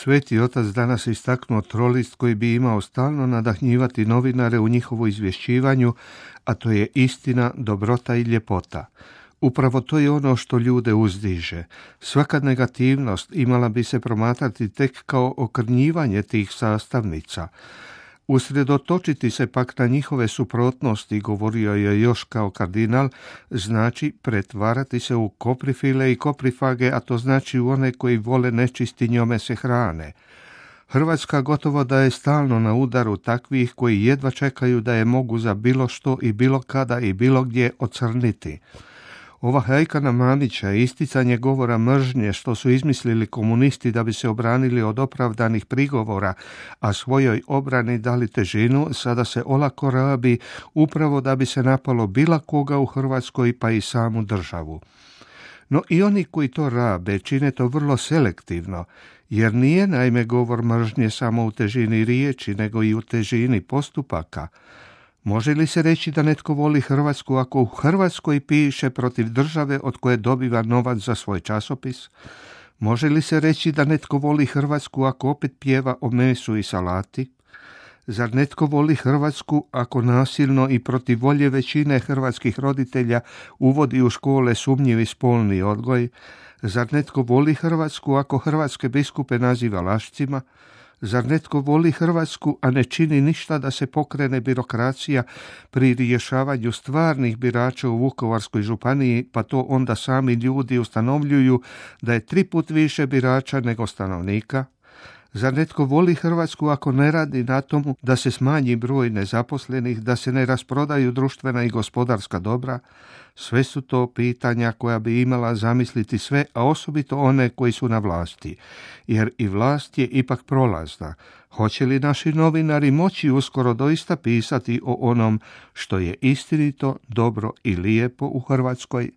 Sveti otac danas istaknuo trolist koji bi imao stalno nadahnjivati novinare u njihovu izvješćivanju, a to je istina, dobrota i ljepota. Upravo to je ono što ljude uzdiže. Svaka negativnost imala bi se promatrati tek kao okrnjivanje tih sastavnica. Usredotočiti se pak na njihove suprotnosti, govorio je još kao kardinal, znači pretvarati se u koprifile i koprifage, a to znači u one koji vole nečisti njome se hrane. Hrvatska gotovo da je stalno na udaru takvih koji jedva čekaju da je mogu za bilo što i bilo kada i bilo gdje ocrniti. Ova hajka na Mamića i isticanje govora mržnje što su izmislili komunisti da bi se obranili od opravdanih prigovora, a svojoj obrani dali težinu, sada se olako rabi upravo da bi se napalo bilo koga u Hrvatskoj pa i samu državu. No i oni koji to rabe čine to vrlo selektivno, jer nije naime govor mržnje samo u težini riječi, nego i u težini postupaka. Može li se reći da netko voli Hrvatsku ako u Hrvatskoj piše protiv države od koje dobiva novac za svoj časopis? Može li se reći da netko voli Hrvatsku ako opet pjeva o mesu i salati? Zar netko voli Hrvatsku ako nasilno i protiv volje većine hrvatskih roditelja uvodi u škole sumnjivi spolni odgoj? Zar netko voli Hrvatsku ako hrvatske biskupe naziva lašcima? Zar netko voli Hrvatsku, a ne čini ništa da se pokrene birokracija pri rješavanju stvarnih birača u Vukovarskoj županiji, pa to onda sami ljudi ustanovljuju da je 3 puta više birača nego stanovnika? Zar netko voli Hrvatsku ako ne radi na tomu da se smanji broj nezaposlenih, da se ne rasprodaju društvena i gospodarska dobra? Sve su to pitanja koja bi imala zamisliti sve, a osobito one koji su na vlasti. Jer i vlast je ipak prolazna. Hoće li naši novinari moći uskoro doista pisati o onom što je istinito, dobro i lijepo u Hrvatskoj?